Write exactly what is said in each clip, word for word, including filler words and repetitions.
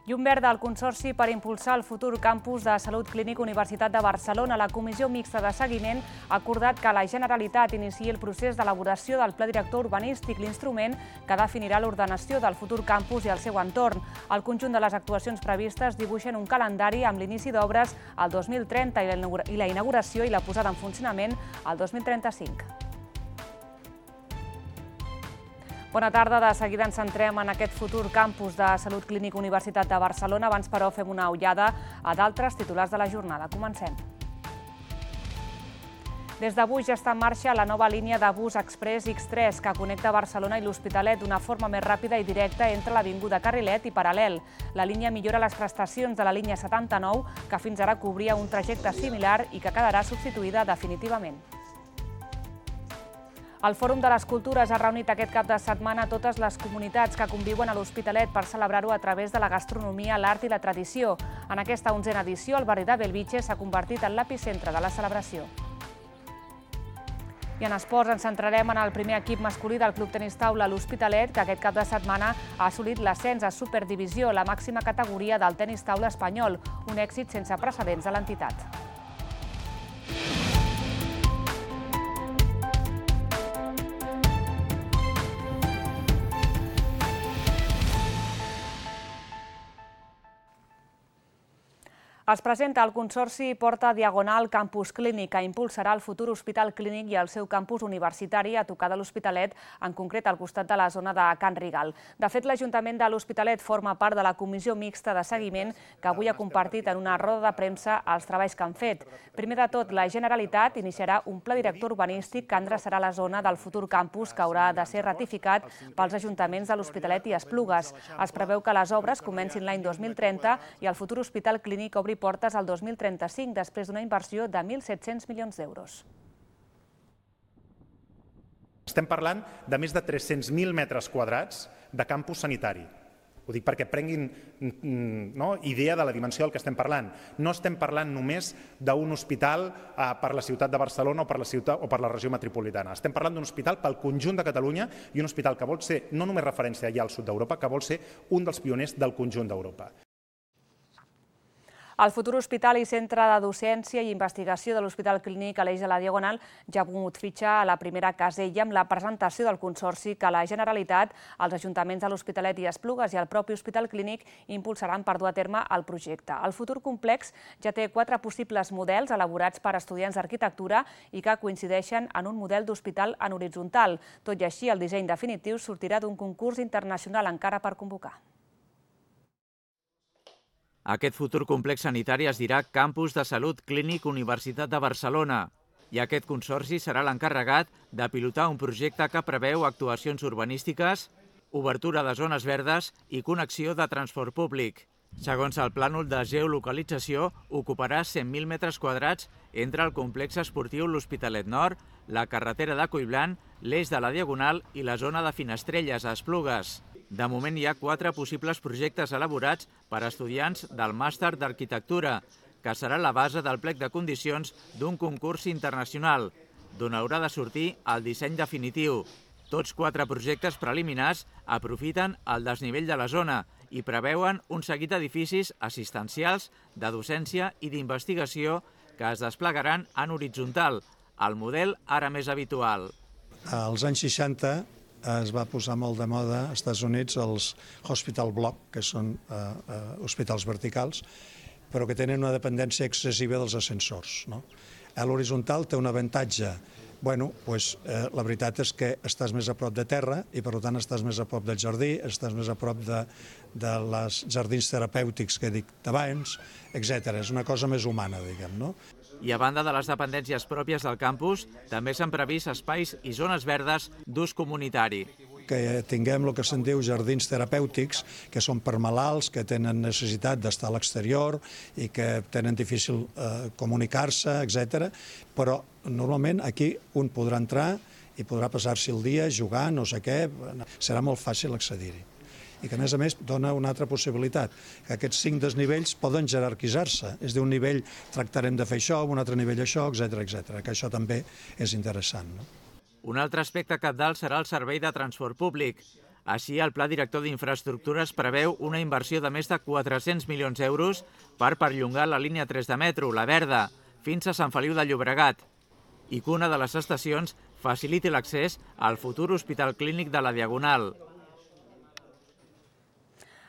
Llum verda al Consorci per impulsar el futur campus de Salut Clínic Universitat de Barcelona. La Comissió Mixta de Seguiment ha acordat que la Generalitat iniciï el procés d'elaboració del Pla Director Urbanístic, l'instrument que definirà l'ordenació del futur campus i el seu entorn. El conjunt de les actuacions previstes dibuixen un calendari amb l'inici d'obres al dos mil trenta i la inauguració i la posada en funcionament al dos mil trenta-cinc. Bona tarda. De seguida ens centrem en aquest futur campus de Salut Clínic Universitat de Barcelona. Abans, però, fem una ullada a d'altres titulars de la jornada. Comencem. Des d'avui ja està en marxa la nova línia de bus express X tres que connecta Barcelona i l'Hospitalet d'una forma més ràpida i directa entre l'Avinguda Carrilet i Paral·lel. La línia millora les prestacions de la línia setanta-nou, que fins ara cobria un trajecte similar i que quedarà substituïda definitivament. El Fòrum de les Cultures ha reunit aquest cap de setmana totes les comunitats que conviuen a l'Hospitalet per celebrar-ho a través de la gastronomia, l'art i la tradició. En aquesta onzena edició, el barri de Bellvitge s'ha convertit en l'epicentre de la celebració. I en esports ens centrarem en el primer equip masculí del Club Tenis Taula, l'Hospitalet, que aquest cap de setmana ha assolit l'ascens a Superdivisió, la màxima categoria del tenis taula espanyol, un èxit sense precedents de l'entitat. Es presenta el Consorci Porta Diagonal Campus Clínic, que impulsarà el futur Hospital Clínic i el seu campus universitari a tocar de l'Hospitalet, en concret al costat de la zona de Can Rigal. De fet, l'Ajuntament de l'Hospitalet forma part de la Comissió Mixta de Seguiment, que avui ha compartit en una roda de premsa els treballs que han fet. Primer de tot, la Generalitat iniciarà un pla director urbanístic que endreçarà la zona del futur campus, que haurà de ser ratificat pels ajuntaments de l'Hospitalet i Esplugues. Es preveu que les obres comencin l'any dos mil trenta i el futur Hospital Clínic obri portes al dos mil trenta-cinc, després d'una inversió de mil set-cents milions d'euros. Estem parlant de més de tres-cents mil metres quadrats de campus sanitari. Ho dic perquè prenguin idea de la dimensió del que estem parlant. No estem parlant només d'un hospital per la ciutat de Barcelona o per la ciutat o per la regió metropolitana. Estem parlant d'un hospital pel conjunt de Catalunya i un hospital que vol ser no només referència allà al sud d'Europa, que vol ser un dels pioners del conjunt d'Europa. El futur hospital i centre de docència i investigació de l'Hospital Clínic Aleix de la Diagonal ja ha pogut fitxar a la primera casella amb la presentació del Consorci que la Generalitat, els ajuntaments de l'Hospitalet i Esplugues i el propi Hospital Clínic impulsaran per dur a terme el projecte. El futur complex ja té quatre possibles models elaborats per estudiants d'arquitectura i que coincideixen en un model d'hospital en horitzontal. Tot i així, el disseny definitiu sortirà d'un concurs internacional encara per convocar. Aquest futur complex sanitari es dirà Campus de Salut Clínic Universitat de Barcelona i aquest consorci serà l'encarregat de pilotar un projecte que preveu actuacions urbanístiques, obertura de zones verdes i connexió de transport públic. Segons el plànol de geolocalització, ocuparà cent mil metres quadrats entre el complex esportiu l'Hospitalet Nord, la carretera de Collblanc, l'eix de la Diagonal i la zona de Finestrelles a Esplugues. De moment hi ha quatre possibles projectes elaborats per a estudiants del màster d'arquitectura, que serà la base del plec de condicions d'un concurs internacional, d'on haurà de sortir el disseny definitiu. Tots quatre projectes preliminars aprofiten el desnivell de la zona i preveuen un seguit d'edificis assistencials, de docència i d'investigació que es desplegaran en horitzontal, el model ara més habitual. Als anys seixanta es va posar molt de moda als Estats Units els hospital block, que són eh, eh, hospitals verticals, però que tenen una dependència excessiva dels ascensors. No? A l'horitzontal té un avantatge. Bueno, pues, eh, la veritat és que estàs més a prop de terra i per tant estàs més a prop del jardí, estàs més a prop de, de les jardins terapèutics que he dit abans, etcètera. És una cosa més humana, diguem, no? I a banda de les dependències pròpies del campus, també s'han previst espais i zones verdes d'ús comunitari. Que tinguem el que se'n diu jardins terapèutics, que són per malalts, que tenen necessitat d'estar a l'exterior i que tenen difícil eh, comunicar-se, etcètera. Però normalment aquí un podrà entrar i podrà passar-s'hi el dia jugant, no sé què, serà molt fàcil accedir-hi. I que, a més a més, dona una altra possibilitat, que aquests cinc desnivells poden jerarquitzar-se. És d'un nivell tractarem de fer això, un altre nivell això, etcètera, etcètera, que això també és interessant. No? Un altre aspecte cabdal serà el servei de transport públic. Així, el Pla Director d'Infraestructures preveu una inversió de més de quatre-cents milions d'euros per perllongar la línia tres de metro, la verda, fins a Sant Feliu de Llobregat, i que una de les estacions faciliti l'accés al futur Hospital Clínic de la Diagonal.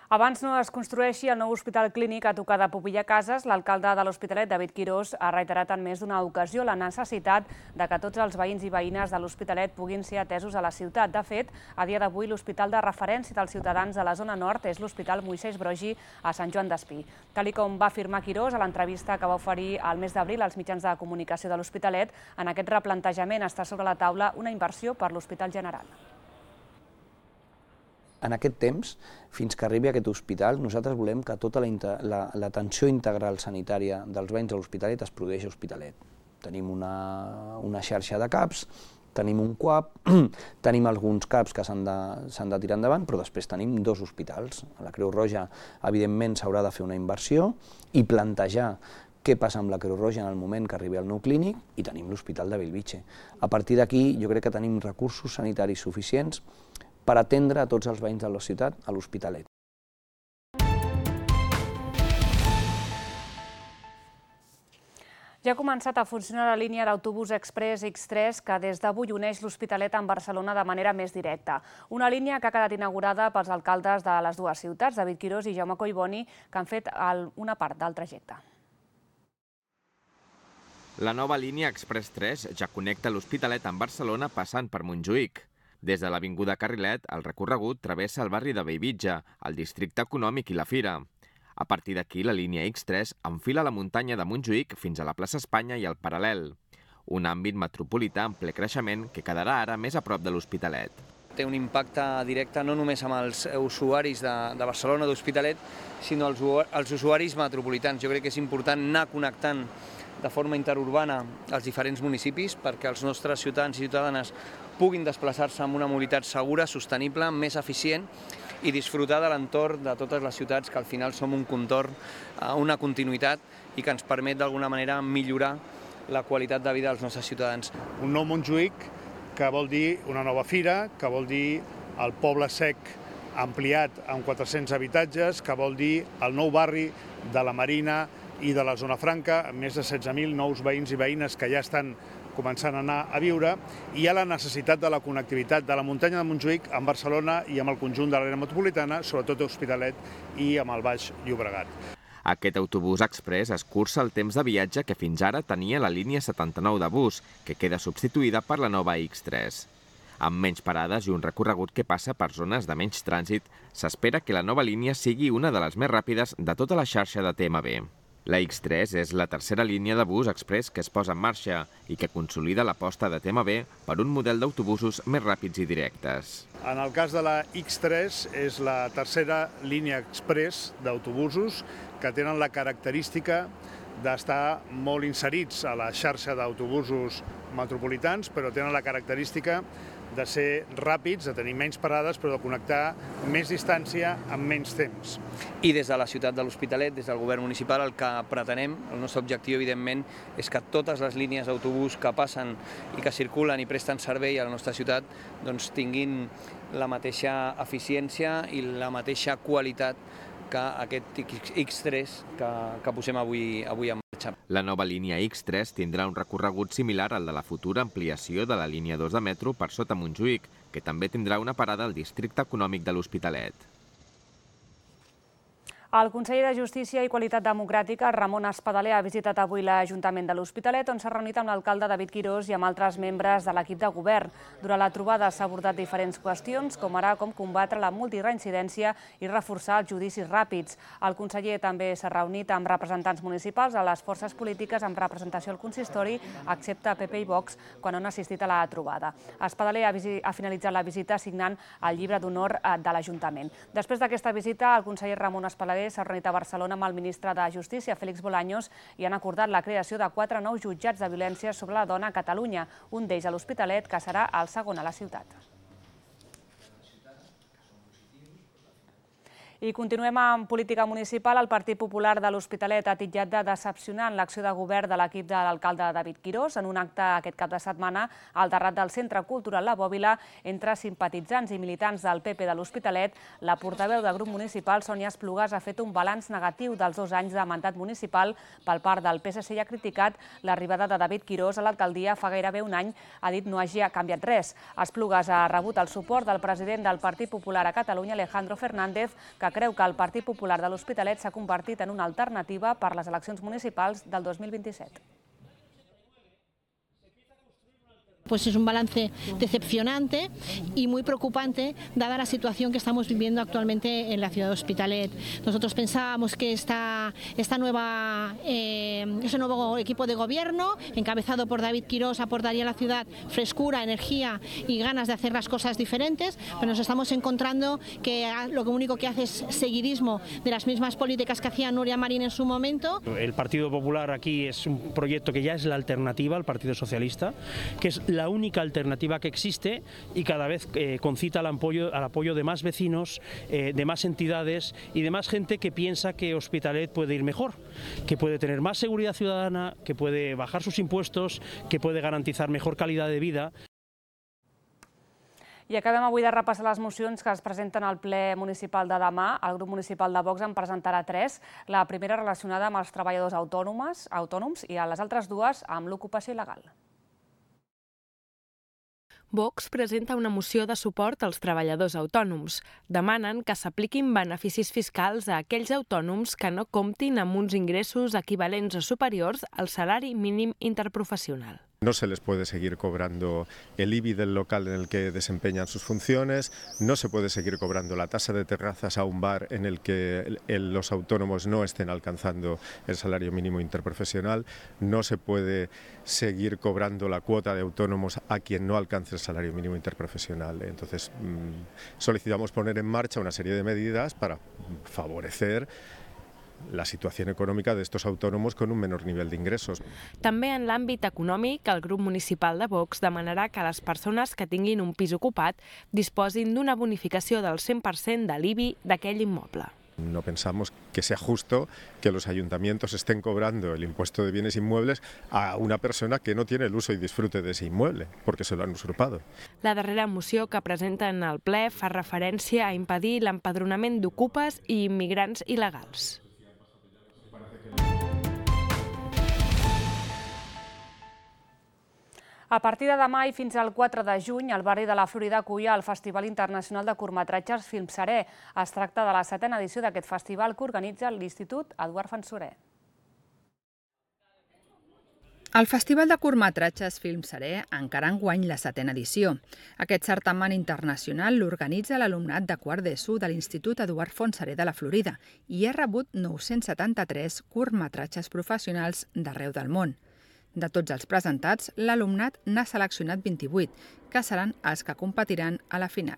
Abans no es construeixi el nou Hospital Clínic a tocar de Popilla Cases, l'alcalde de l'Hospitalet, David Quirós, ha reiterat en més d'una ocasió la necessitat de que tots els veïns i veïnes de l'Hospitalet puguin ser atesos a la ciutat. De fet, a dia d'avui l'hospital de referència dels ciutadans de la zona nord és l'Hospital Moisès Broggi a Sant Joan d'Espí. Tal com va afirmar Quirós a l'entrevista que va oferir al mes d'abril als mitjans de comunicació de l'Hospitalet, en aquest replantejament està sobre la taula una inversió per l'Hospital General. En aquest temps, fins que arribi aquest hospital, nosaltres volem que tota l'atenció integral sanitària dels veïns de l'Hospitalet es produeixi a Hospitalet. Tenim una, una xarxa de CAPs, tenim un CUAP, tenim alguns CAPs que s'han de, s'han de tirar endavant, però després tenim dos hospitals. A la Creu Roja, evidentment, s'haurà de fer una inversió i plantejar què passa amb la Creu Roja en el moment que arribi al nou clínic, i tenim l'Hospital de Bellvitge. A partir d'aquí, jo crec que tenim recursos sanitaris suficients per atendre a tots els veïns de la ciutat a l'Hospitalet. Ja ha començat a funcionar la línia d'autobús express X tres que des d'avui uneix l'Hospitalet amb Barcelona de manera més directa. Una línia que ha quedat inaugurada pels alcaldes de les dues ciutats, David Quirós i Jaume Collboni, que han fet una part del trajecte. La nova línia Express tres ja connecta l'Hospitalet amb Barcelona passant per Montjuïc. Des de l'Avinguda Carrilet, el recorregut travessa el barri de Bellvitge, el districte econòmic i la Fira. A partir d'aquí, la línia X tres enfila la muntanya de Montjuïc fins a la plaça Espanya i el Paral·lel, un àmbit metropolità en ple creixement que quedarà ara més a prop de l'Hospitalet. Té un impacte directe no només amb els usuaris de, de Barcelona, d'Hospitalet, sinó els, els usuaris metropolitans. Jo crec que és important anar connectant de forma interurbana als diferents municipis perquè els nostres ciutadans i ciutadanes puguin desplaçar-se amb una mobilitat segura, sostenible, més eficient i disfrutar de l'entorn de totes les ciutats, que al final som un contorn, una continuïtat i que ens permet d'alguna manera millorar la qualitat de vida dels nostres ciutadans. Un nou Montjuïc que vol dir una nova fira, que vol dir el Poble Sec ampliat amb quatre-cents habitatges, que vol dir el nou barri de la Marina i de la Zona Franca, amb més de setze mil nous veïns i veïnes que ja estan començant a anar a viure, i hi ha la necessitat de la connectivitat de la muntanya de Montjuïc amb Barcelona i amb el conjunt de l'àrea metropolitana, sobretot a Hospitalet i amb el Baix Llobregat. Aquest autobús express escurça el temps de viatge que fins ara tenia la línia setanta-nou de bus, que queda substituïda per la nova X tres. Amb menys parades i un recorregut que passa per zones de menys trànsit, s'espera que la nova línia sigui una de les més ràpides de tota la xarxa de T M B. La X tres és la tercera línia de bus express que es posa en marxa i que consolida l'aposta de T M B per un model d'autobusos més ràpids i directes. En el cas de la X tres és la tercera línia express d'autobusos que tenen la característica d'estar molt inserits a la xarxa d'autobusos metropolitans, però tenen la característica de ser ràpids, de tenir menys parades, però de connectar més distància amb menys temps. I des de la ciutat de l'Hospitalet, des del govern municipal, el que pretenem, el nostre objectiu, evidentment, és que totes les línies d'autobús que passen i que circulen i presten servei a la nostra ciutat doncs, tinguin la mateixa eficiència i la mateixa qualitat que aquest X tres que, que posem avui, avui en marxa. La nova línia X tres tindrà un recorregut similar al de la futura ampliació de la línia dos de metro per sota Montjuïc, que també tindrà una parada al districte econòmic de l'Hospitalet. El conseller de Justícia i Qualitat Democràtica, Ramon Espadaler, ha visitat avui l'Ajuntament de l'Hospitalet, on s'ha reunit amb l'alcalde David Quirós i amb altres membres de l'equip de govern. Durant la trobada s'ha abordat diferents qüestions, com ara com combatre la multireincidència i reforçar els judicis ràpids. El conseller també s'ha reunit amb representants municipals a les forces polítiques amb representació al consistori, excepte P P i Vox, quan han assistit a la trobada. Espadaler ha finalitzat la visita signant el llibre d'honor de l'Ajuntament. Després d'aquesta visita, el conseller Ramon Espadaler s'ha reunit a Barcelona amb el ministre de Justícia, Félix Bolaños, i han acordat la creació de quatre nous jutjats de violència sobre la dona a Catalunya, un d'ells a l'Hospitalet, que serà el segon a la ciutat. I continuem amb política municipal. El Partit Popular de l'Hospitalet ha titllat de decepcionant l'acció de govern de l'equip de l'alcalde David Quirós en un acte aquest cap de setmana al terrat del Centre Cultural La Bòbila entre simpatitzants i militants del P P de l'Hospitalet. La portaveu del grup municipal, Sònia Esplugas, ha fet un balanç negatiu dels dos anys de mandat municipal per part del P S C i ha criticat l'arribada de David Quirós a l'alcaldia fa gairebé un any. Ha dit no hagi canviat res. Esplugas ha rebut el suport del president del Partit Popular a Catalunya, Alejandro Fernández, que creu que el Partit Popular de l'Hospitalet s'ha convertit en una alternativa per les eleccions municipals del dos mil vint-i-set. Pues es un balance decepcionante y muy preocupante dada la situación que estamos viviendo actualmente en la ciudad de Hospitalet. Nosotros pensábamos que esta, esta nueva, eh, ese nuevo equipo de gobierno, encabezado por David Quirós, aportaría a la ciudad frescura, energía y ganas de hacer las cosas diferentes, pero nos estamos encontrando que lo único que hace es seguidismo de las mismas políticas que hacía Núria Marín en su momento. El Partido Popular aquí es un proyecto que ya es la alternativa al Partido Socialista, que es la única alternativa que existe y cada vez eh, concita al apoyo, al apoyo de más vecinos, eh, de más entidades y de más gente que piensa que Hospitalet puede ir mejor, que puede tener más seguridad ciudadana, que puede bajar sus impuestos, que puede garantizar mejor calidad de vida. I acabem avui de repassar les mocions que es presenten al ple municipal de demà. El grup municipal de Vox en presentarà tres. La primera relacionada amb els treballadors autònoms, autònoms i les altres dues amb l'ocupació il·legal. Vox presenta una moció de suport als treballadors autònoms. Demanen que s'apliquin beneficis fiscals a aquells autònoms que no comptin amb uns ingressos equivalents o superiors al salari mínim interprofessional. No se les puede seguir cobrando el I B I del local en el que desempeñan sus funciones, no se puede seguir cobrando la tasa de terrazas a un bar en el que el, los autónomos no estén alcanzando el salario mínimo interprofesional, no se puede seguir cobrando la cuota de autónomos a quien no alcance el salario mínimo interprofesional. Entonces, mmm, solicitamos poner en marcha una serie de medidas para favorecer la situació econòmica d'estos autònoms con un menor nivell d'ingressos. També en l'àmbit econòmic, el grup municipal de Vox demanarà que les persones que tinguin un pis ocupat disposin d'una bonificació del cent per cent de l'I B I d'aquell immoble. No pensamos que sea justo que los ayuntamientos estén cobrando el impuesto de bienes inmuebles a una persona que no tiene el uso y disfrute de ese inmueble, porque se lo han usurpado. La darrera moció que presenten al ple fa referència a impedir l'empadronament d'ocupes i immigrants il·legals. A partir de demà i fins al quatre de juny, el barri de la Florida acull el Festival Internacional de Curtmetratges Filmseré. Es tracta de la setena edició d'aquest festival que organitza l'Institut Eduard Fansorer. El Festival de Curtmetratges Filmseré encara enguany la setena edició. Aquest certamen internacional l'organitza l'alumnat de quart d'ESO de l'Institut Eduard Fansorer de la Florida i ha rebut nou-cents setanta-tres curtmetratges professionals d'arreu del món. De tots els presentats, l'alumnat n'ha seleccionat vint-i-vuit, que seran els que competiran a la final.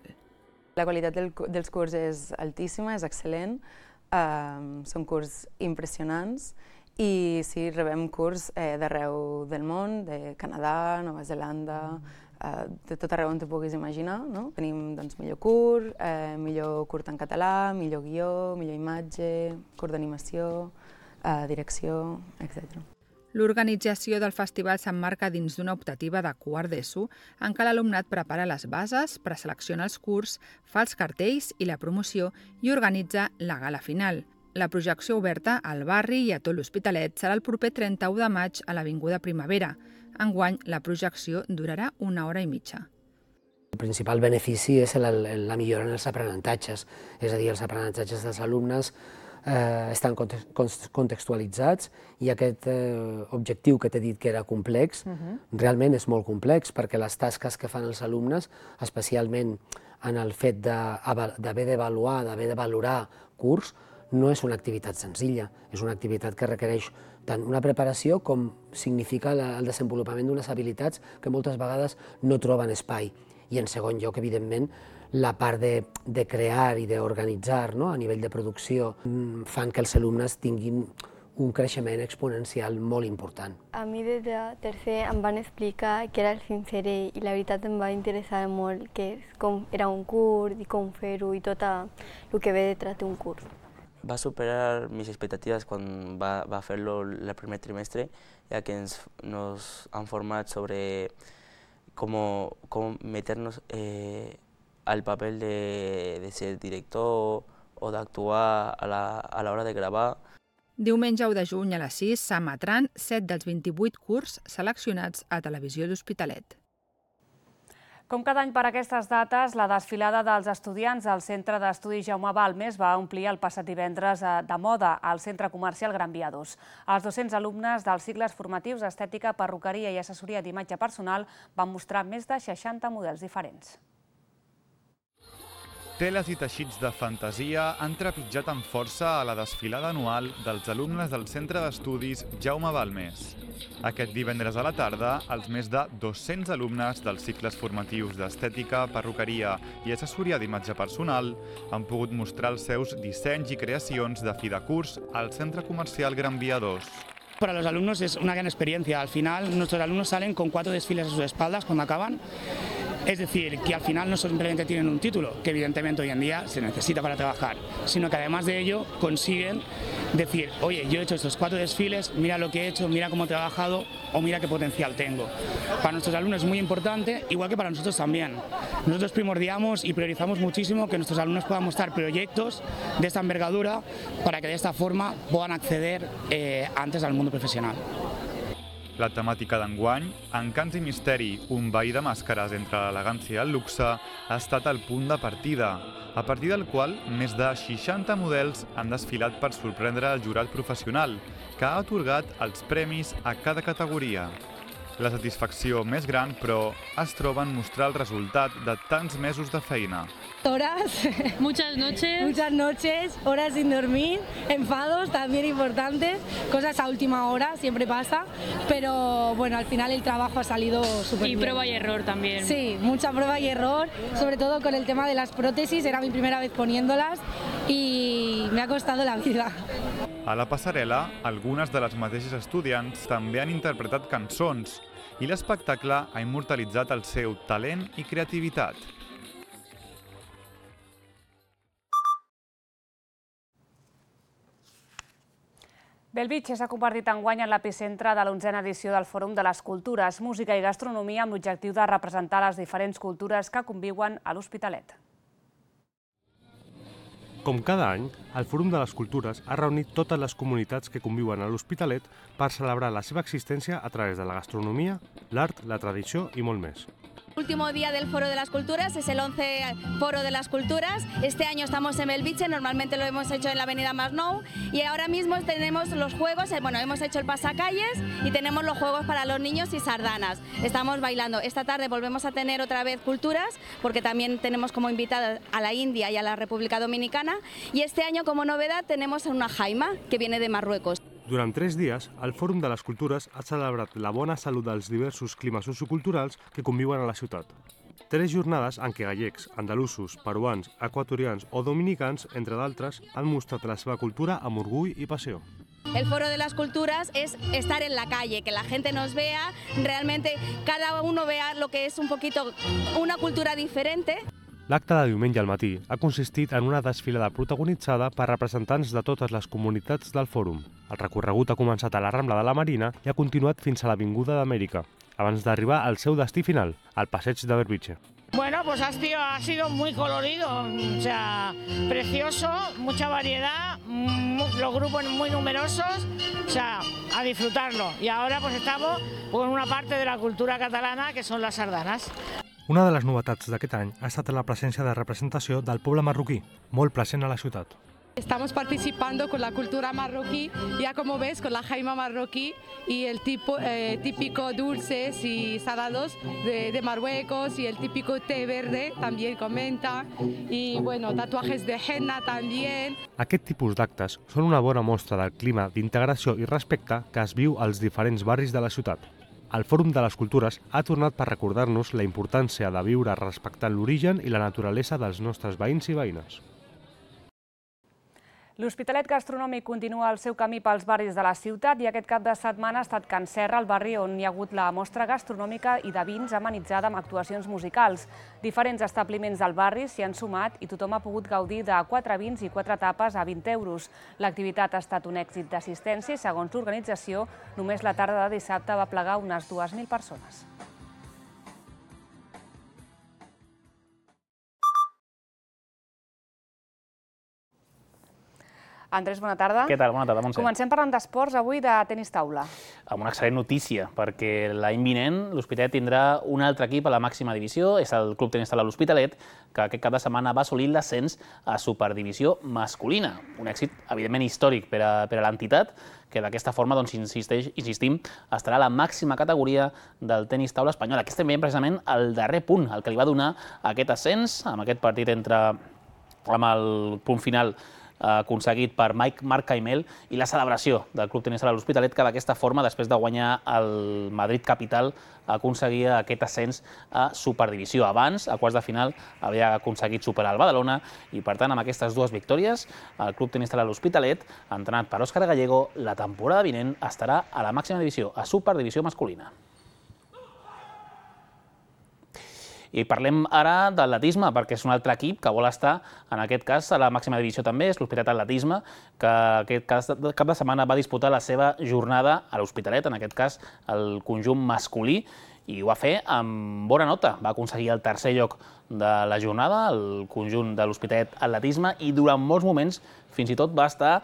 La qualitat dels curs és altíssima, és excel·lent, són curs impressionants i sí, rebem curs d'arreu del món, de Canadà, Nova Zelanda, de tot arreu on t'ho puguis imaginar. Tenim millor curt, millor curt en català, millor guió, millor imatge, curt d'animació, direcció, etcètera. L'organització del festival s'emmarca dins d'una optativa de quart d'ESO en què l'alumnat prepara les bases, preselecciona els curs, fa els cartells i la promoció i organitza la gala final. La projecció oberta al barri i a tot l'Hospitalet serà el proper trenta-u de maig a l'Avinguda Primavera. Enguany, la projecció durarà una hora i mitja. El principal benefici és la, la millora en els aprenentatges, és a dir, els aprenentatges dels alumnes Eh, estan contextualitzats i aquest eh, objectiu que t'he dit que era complex, uh-huh. realment és molt complex perquè les tasques que fan els alumnes, especialment en el fet d'haver d'avaluar, d'haver de valorar curs, no és una activitat senzilla, és una activitat que requereix tant una preparació com significa el desenvolupament d'unes habilitats que moltes vegades no troben espai. I en segon lloc, evidentment, la part de, de crear i d'organitzar, no? A nivell de producció fan que els alumnes tinguin un creixement exponencial molt important. A mi des de tercer em van explicar què era el Finseré i la veritat em va interessar molt què com era un curs i com fer-ho i tot el que ve detrás d'un curs. Va superar mis expectativas cuando va, va a hacerlo el primer trimestre, ya que ens, nos han formado sobre cómo, cómo meternos eh, al papel de, de ser director o d'actuar a, la, a l'hora de gravar. Diumenge u de juny a les sis s'emetran set dels vint-i-vuit curts seleccionats a Televisió d'Hospitalet. Com cada any per aquestes dates, la desfilada dels estudiants al Centre d'Estudis Jaume Balmes va omplir el passat divendres de moda al Centre Comercial Gran Via dos. Els dos-cents alumnes dels cicles formatius d'estètica, perruqueria i assessoria d'imatge personal van mostrar més de seixanta models diferents. Teles i teixits de fantasia han trepitjat amb força a la desfilada anual dels alumnes del Centre d'Estudis Jaume Balmes. Aquest divendres a la tarda, els més de dos-cents alumnes dels cicles formatius d'estètica, perruqueria i assessoria d'imatge personal han pogut mostrar els seus dissenys i creacions de fi de curs al Centre Comercial Gran Via dos. Para los alumnos es una gran experiencia. Al final, nuestros alumnos salen con cuatro desfiles a sus espaldas cuando acaban. Es decir, que al final no simplemente tienen un título, que evidentemente hoy en día se necesita para trabajar, sino que además de ello consiguen decir, oye, yo he hecho estos cuatro desfiles, mira lo que he hecho, mira cómo he trabajado o mira qué potencial tengo. Para nuestros alumnos es muy importante, igual que para nosotros también. Nosotros primordiamos y priorizamos muchísimo que nuestros alumnos puedan mostrar proyectos de esta envergadura para que de esta forma puedan acceder eh, antes al mundo profesional. La temàtica d'enguany, Encants i misteri, un ball de màscares entre l'elegància i el luxe, ha estat el punt de partida, a partir del qual més de seixanta models han desfilat per sorprendre el jurat professional, que ha atorgat els premis a cada categoria. La satisfacció més gran, però, es troba en mostrar el resultat de tants mesos de feina. Horas, muchas noches, muchas noches, horas sin dormir, enfados también importantes, cosas a última hora, siempre pasa, pero bueno, al final el trabajo ha salido súper bien. Y prueba y error también. Sí, mucha prueba y error, sobre todo con el tema de las prótesis, era mi primera vez poniéndolas y me ha costado la vida. A la passarel·la, algunes de les mateixes estudiants també han interpretat cançons i l'espectacle ha immortalitzat el seu talent i creativitat. Bellvitge s'ha convertit enguany en l'epicentre de l'onzena edició del Fòrum de les Cultures, Música i Gastronomia amb l'objectiu de representar les diferents cultures que conviuen a l'Hospitalet. Com cada any, el Fòrum de les Cultures ha reunit totes les comunitats que conviuen a l'Hospitalet per celebrar la seva existència a través de la gastronomia, l'art, la tradició i molt més. Último día del Foro de las Culturas, es el once Foro de las Culturas. Este año estamos en Bellvitge, normalmente lo hemos hecho en la avenida Masnou y ahora mismo tenemos los juegos, bueno, hemos hecho el pasacalles y tenemos los juegos para los niños y sardanas. Estamos bailando. Esta tarde volvemos a tener otra vez culturas porque también tenemos como invitada a la India y a la República Dominicana y este año como novedad tenemos a una jaima que viene de Marruecos. Durant tres dies, el Fòrum de les Cultures ha celebrat la bona salut dels diversos climes socioculturals que conviuen a la ciutat. Tres jornades en què gallecs, andalusos, peruans, equatorians o dominicans, entre d'altres, han mostrat la seva cultura amb orgull i passió. El Foro de las Culturas es estar en la calle, que la gente nos vea, realmente cada uno vea lo que es un poquito una cultura diferente. L'acte de diumenge al matí ha consistit en una desfilada protagonitzada per representants de totes les comunitats del fòrum. El recorregut ha començat a la Rambla de la Marina i ha continuat fins a l'Avinguda d'Amèrica, abans d'arribar al seu destí final, al passeig de Bellvitge. Bueno, pues ha sido, ha sido muy colorido, o sea, precioso, mucha variedad, los grupos muy numerosos, o sea, a disfrutarlo. Y ahora pues estamos con una parte de la cultura catalana que son las sardanas. Una de les novetats d'aquest any ha estat la presència de representació del poble marroquí, molt present a la ciutat. Estamos participando con la cultura marroquí, ya como ves, con la jaima marroquí y el tipo, eh, típico dulces y salados de, de Marruecos y el típico té verde también comenta y bueno, tatuajes de henna también. Aquest tipus d'actes són una bona mostra del clima d'integració i respecte que es viu als diferents barris de la ciutat. El Fòrum de les Cultures ha tornat per recordar-nos la importància de viure respectant l'origen i la naturalesa dels nostres veïns i veïnes. L'Hospitalet Gastronòmic continua el seu camí pels barris de la ciutat i aquest cap de setmana ha estat Can Serra, el barri on hi ha hagut la mostra gastronòmica i de vins amenitzada amb actuacions musicals. Diferents establiments del barri s'hi han sumat i tothom ha pogut gaudir de quatre vins i quatre tapes a vint euros. L'activitat ha estat un èxit d'assistència i, segons l'organització, només la tarda de dissabte va plegar unes dues mil persones. Andrés, bona tarda. Què tal? Bona tarda, Montse. Comencem parlant d'esports, avui de tenis taula. Amb una excel·lent notícia, perquè l'any vinent l'Hospitalet tindrà un altre equip a la màxima divisió, és el Club Tenis Taula l'Hospitalet, que aquest cap de setmana va assolir l'ascens a Superdivisió masculina. Un èxit, evidentment, històric per a, per a l'entitat, que d'aquesta forma, doncs, insisteix, insistim, estarà a la màxima categoria del tenis taula espanyol. Aquest també, precisament, el darrer punt, el que li va donar aquest ascens, amb aquest partit entre, amb el punt final aconseguit per Mike Marc Caimel i la celebració del Club Tenis Taula l'Hospitalet, que d'aquesta forma, després de guanyar el Madrid Capital, aconseguia aquest ascens a Superdivisió. Abans, a quarts de final, havia aconseguit superar el Badalona i, per tant, amb aquestes dues victòries, el Club Tenis Taula l'Hospitalet, entrenat per Òscar Gallego, la temporada vinent estarà a la màxima divisió, a Superdivisió masculina. I parlem ara d'atletisme, perquè és un altre equip que vol estar, en aquest cas, a la màxima divisió també, és l'Hospitalet Atletisme, que aquest cap de setmana va disputar la seva jornada a l'Hospitalet, en aquest cas el conjunt masculí, i ho va fer amb bona nota. Va aconseguir el tercer lloc de la jornada, el conjunt de l'Hospitalet Atletisme, i durant molts moments fins i tot va estar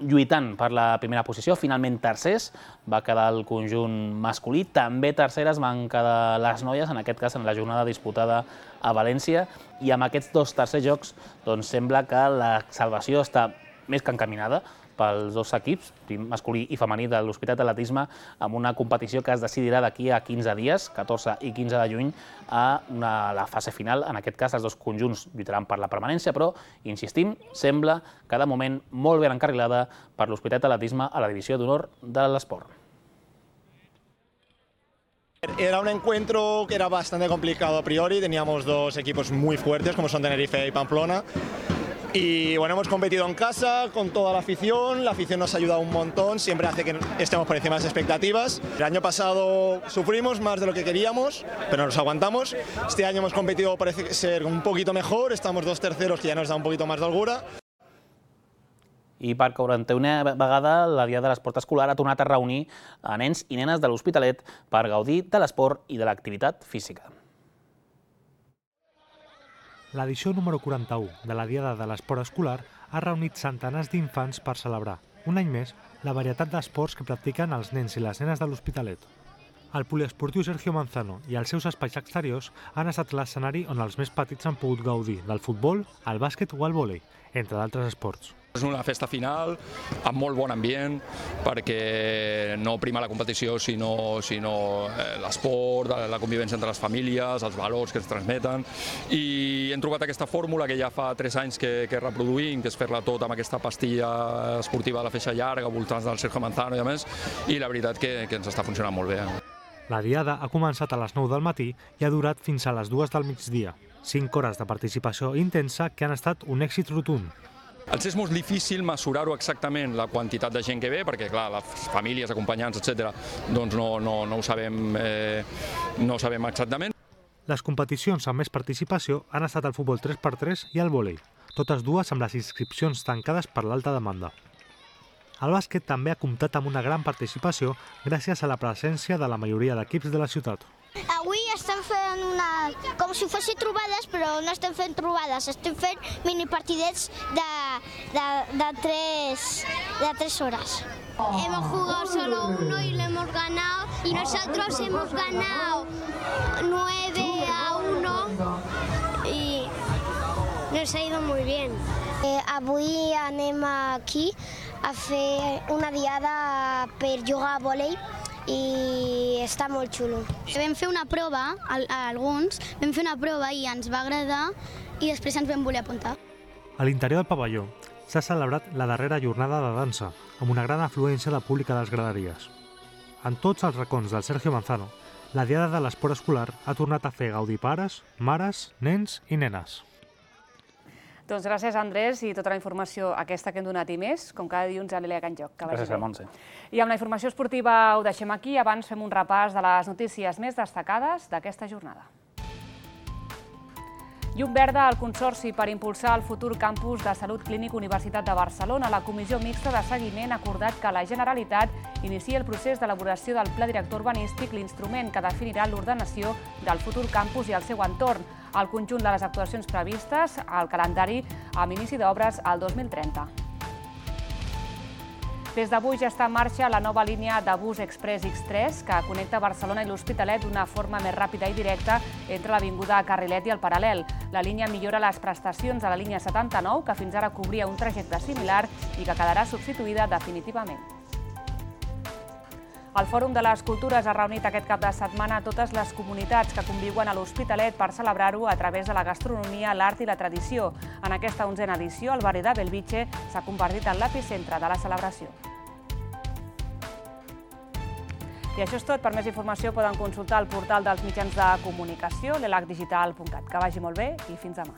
lluitant per la primera posició. Finalment tercers va quedar el conjunt masculí, també terceres van quedar les noies, en aquest cas en la jornada disputada a València, i amb aquests dos tercers jocs doncs sembla que la salvació està més que encaminada pels dos equips, masculí i femení, de l'Hospitalet Atletisme, amb una competició que es decidirà d'aquí a quinze dies, catorze i quinze de juny, a una, la fase final. En aquest cas, els dos conjunts lluitaran per la permanència, però, insistim, sembla que de moment molt ben encarrilada per l'Hospitalet Atletisme a la divisió d'honor de l'esport. Era un encuentro que era bastante complicado a priori, teníamos dos equipos muy fuertes como son Tenerife y Pamplona. Y bueno, hemos competido en casa con toda la afición, la afición nos ha ayudado un montón, siempre hace que estemos por encima de las expectativas. El año pasado sufrimos más de lo que queríamos, pero nos aguantamos. Este año hemos competido, parece ser un poquito mejor, estamos dos terceros que ya nos da un poquito más de holgura. I per quaranta-una vegada, la Diada de l'Esport Escolar ha tornat a reunir a nens i nenes de l'Hospitalet per gaudir de l'esport i de l'activitat física. L'edició número quaranta-u de la Diada de l'Esport Escolar ha reunit centenars d'infants per celebrar, un any més, la varietat d'esports que practiquen els nens i les nenes de l'Hospitalet. El poliesportiu Sergio Manzano i els seus espais exteriors han estat l'escenari on els més petits han pogut gaudir del futbol, el bàsquet o el vòlei, entre d'altres esports. És una festa final amb molt bon ambient perquè no prima la competició sinó, sinó l'esport, la convivència entre les famílies, els valors que ens transmeten, i hem trobat aquesta fórmula que ja fa tres anys que, que reproduïm, que és fer-la tot amb aquesta pastilla esportiva de la feixa llarga, voltants del Sergio Manzano i a més, i la veritat que, que ens està funcionant molt bé. La Diada ha començat a les nou del matí i ha durat fins a les dues del migdia. Cinc hores de participació intensa que han estat un èxit rotund. Els és molt difícil mesurar-ho exactament, la quantitat de gent que ve, perquè clar, les famílies, acompanyants, etcètera, doncs no, no, no ho sabem, eh, no ho sabem exactament. Les competicions amb més participació han estat el futbol tres per tres i el vòlei, totes dues amb les inscripcions tancades per l'alta demanda. El bàsquet també ha comptat amb una gran participació gràcies a la presència de la majoria d'equips de la ciutat. Avui estem fent una, com si fossin trobades, però no estem fent trobades, estem fent minipartidets de, de, de, tres, de tres horas. Hemos jugado solo uno y lo hemos ganado, y nosotros hemos ganado nueve a uno y nos ha ido muy bien. Eh, avui anem aquí a fer una diada per jugar a vòlei i està molt xulo. Vam fer una prova, a alguns, vam fer una prova i ens va agradar i després ens vam voler apuntar. A l'interior del pavelló s'ha celebrat la darrera jornada de dansa, amb una gran afluència de públic a les graderies. En tots els racons del Sergio Manzano, la Diada de l'Esport Escolar ha tornat a fer gaudir pares, mares, nens i nenes. Doncs gràcies, Andrés, i tota la informació aquesta que hem donat i més, com cada dilluns a l'Elia Can Joc. Gràcies a Montse. I amb la informació esportiva ho deixem aquí. Abans fem un repàs de les notícies més destacades d'aquesta jornada. Llum verda al Consorci per impulsar el futur campus de Salut Clínic Universitat de Barcelona. La Comissió Mixta de Seguiment ha acordat que la Generalitat inicia el procés d'elaboració del Pla Director Urbanístic, l'instrument que definirà l'ordenació del futur campus i el seu entorn. El conjunt de les actuacions previstes al calendari amb inici d'obres al dos mil trenta. Des d'avui ja està en marxa la nova línia de bus Express X tres que connecta Barcelona i l'Hospitalet d'una forma més ràpida i directa entre l'avinguda Carrilet i el Paral·lel. La línia millora les prestacions de la línia setanta-nou, que fins ara cobria un trajecte similar i que quedarà substituïda definitivament. El Fòrum de les Cultures ha reunit aquest cap de setmana totes les comunitats que conviuen a l'Hospitalet per celebrar-ho a través de la gastronomia, l'art i la tradició. En aquesta onzena edició, el barri de Bellvitge s'ha convertit en l'epicentre de la celebració. I això és tot. Per més informació poden consultar el portal dels mitjans de comunicació, l'elac digital punt cat. Que vagi molt bé i fins demà.